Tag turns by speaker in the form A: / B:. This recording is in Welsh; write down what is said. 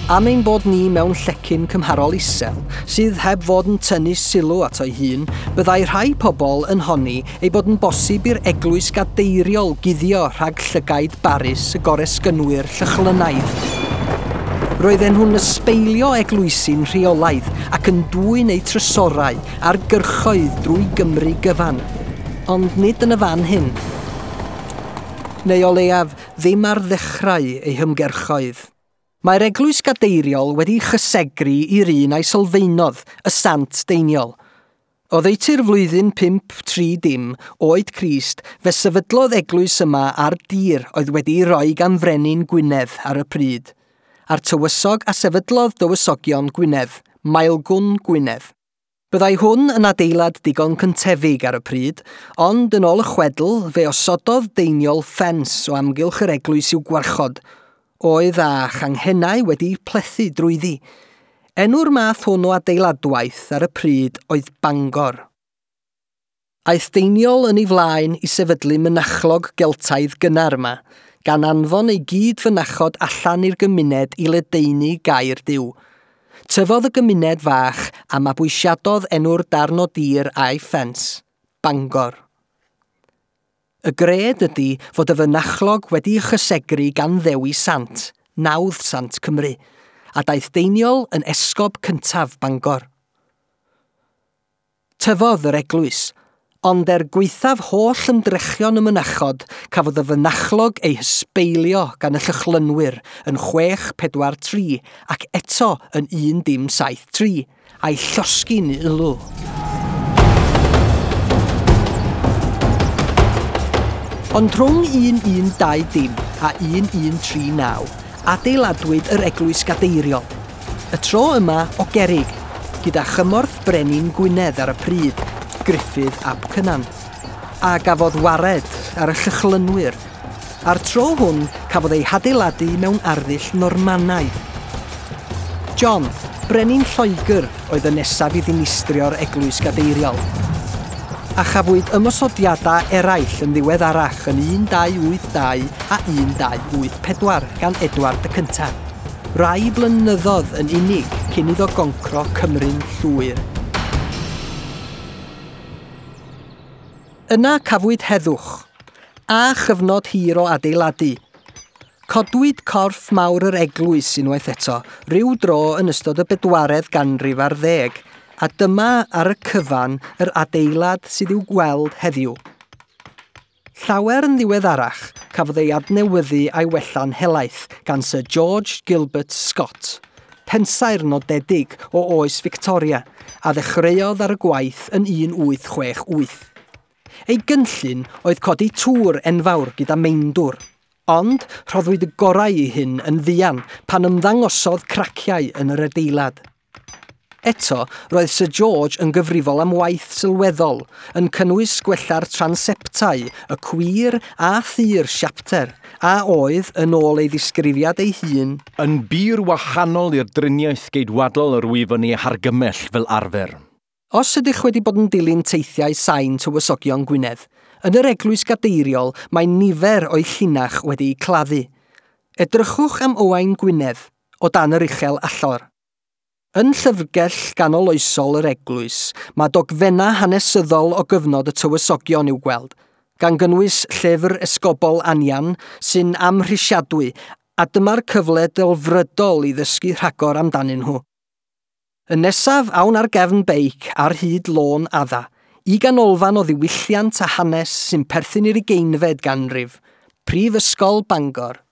A: Am ein bod ni mewn llecyn cymharol isel, sydd heb fod yn tynnu sylw ato'i hun, byddai rhai pobl yn honni ei bod yn bosib i'r eglwys gadeiriol guddio rhag llygaid barus y goresgynwyr Llychlynaidd. Roedden nhw'n ysbeilio eglwysi'n rheolaidd ac yn dwyn eu trysorau ar gyrchoedd drwy Gymru gyfan. Ond nid yn y fan hyn. Neu o leiaf, ddim ar ddechrau eu hymgyrchoedd. Mae'r eglwys gadeiriol wedi chysegru i'r un a'i sylfaenodd, y Sant Deiniol. Oddeutu'r flwyddyn 530 oed Crist, fe sefydlodd eglwys yma ar dir oedd wedi'i roi gan Frenin Gwynedd ar y pryd, a'r tywysog a sefydlodd dywysogion Gwynedd, Maelgwn Gwynedd. Byddai hwn yn adeilad digon cyntefig ar y pryd, ond yn ôl y chwedl, fe osododd Deiniol ffens o amgylch yr eglwys i'w gwarchod, oedd â changhennau wedi plethu drwyddi. Enw'r math hwn o adeiladwaith ar y pryd oedd Bangor. Aeth Deiniol yn ei flaen i sefydlu mynachlog Geltaidd gynnar yma, gan anfon ei gyd fynachod allan i'r gymuned i ledaenu gair Duw. Tyfodd y gymuned fach a mabwysiadodd enw'r darn o dir a'i ffens, Bangor. Y gred ydy fod y fynachlog wedi chysegru gan Ddewi Sant, nawdd Sant Cymru, a daeth Deiniol yn esgob cyntaf Bangor. Tyfodd yr eglwys, ond er gwaethaf holl ymdrechion y mynachod, cafodd y fynachlog ei hysbeilio gan y Llychlynwyr yn 643 ac eto yn 1073, a'i llosgi'n ulw. Ond rhwng 1120 a 1139, adeiladwyd yr eglwys gadeiriol. Y tro yma o gerrig, gyda chymorth Brenin Gwynedd ar y pryd, Gruffydd ap Cynan, a gafodd wared ar y Llychlynwyr. A'r tro hwn cafodd ei hadeiladu mewn arddull Normanaidd. John, Brenin Lloegr, oedd y nesaf i ddinistrio'r eglwys gadeiriol. A chafwyd ymosodiadau eraill yn ddiweddarach yn 1282 a 1284 gan Edward y Cyntaf. Rai blynyddoedd yn unig cyn iddo goncro Cymru'n llwyr. Yna cafwyd heddwch, a chyfnod hir o adeiladu. Codwyd corff mawr yr eglwys unwaith eto, ryw dro yn ystod y bedwaredd ganrif ar ddeg, a dyma ar y cyfan yr adeilad sydd i'w gweld heddiw. Llawer yn ddiweddarach, cafodd ei adnewyddu a'i wella'n helaeth gan Sir George Gilbert Scott, pensaer nodedig o oes Victoria, a ddechreuodd ar y gwaith yn 1868. Ei gynllun oedd codi tŵr enfawr gyda meindwr, ond rhoddwyd y gorau i hyn yn fuan pan ymddangosodd craciau yn yr adeilad. Eto, roedd Sir George yn gyfrifol am waith sylweddol, yn cynnwys gwella'r transeptau, y cwir a thir siapter, a oedd, yn ôl ei ddisgrifiad ei hun,
B: yn bur wahanol i'r driniaeth geidwadol yr wyf yn ei hargymell fel arfer.
A: Os ydych wedi bod yn dilyn teithiau sain tywysogion Gwynedd, yn yr eglwys gadeiriol mae nifer o'i llinach wedi'u claddu. Edrychwch am Owain Gwynedd, o dan yr uchel allor. Yn llyfrgell ganoloesol yr eglwys, mae dogfennau hanesyddol o gyfnod y tywysogion i'w gweld, gan gynnwys llyfr esgobol Anian sy'n amhrisiadwy, a dyma'r cyfle delfrydol i ddysgu rhagor amdanyn nhw. Y nesaf awn ar gefn beic ar hyd lôn Adda, i ganolfan o ddiwylliant a hanes sy'n perthyn i'r ugeinfed ganrif, Prifysgol Bangor.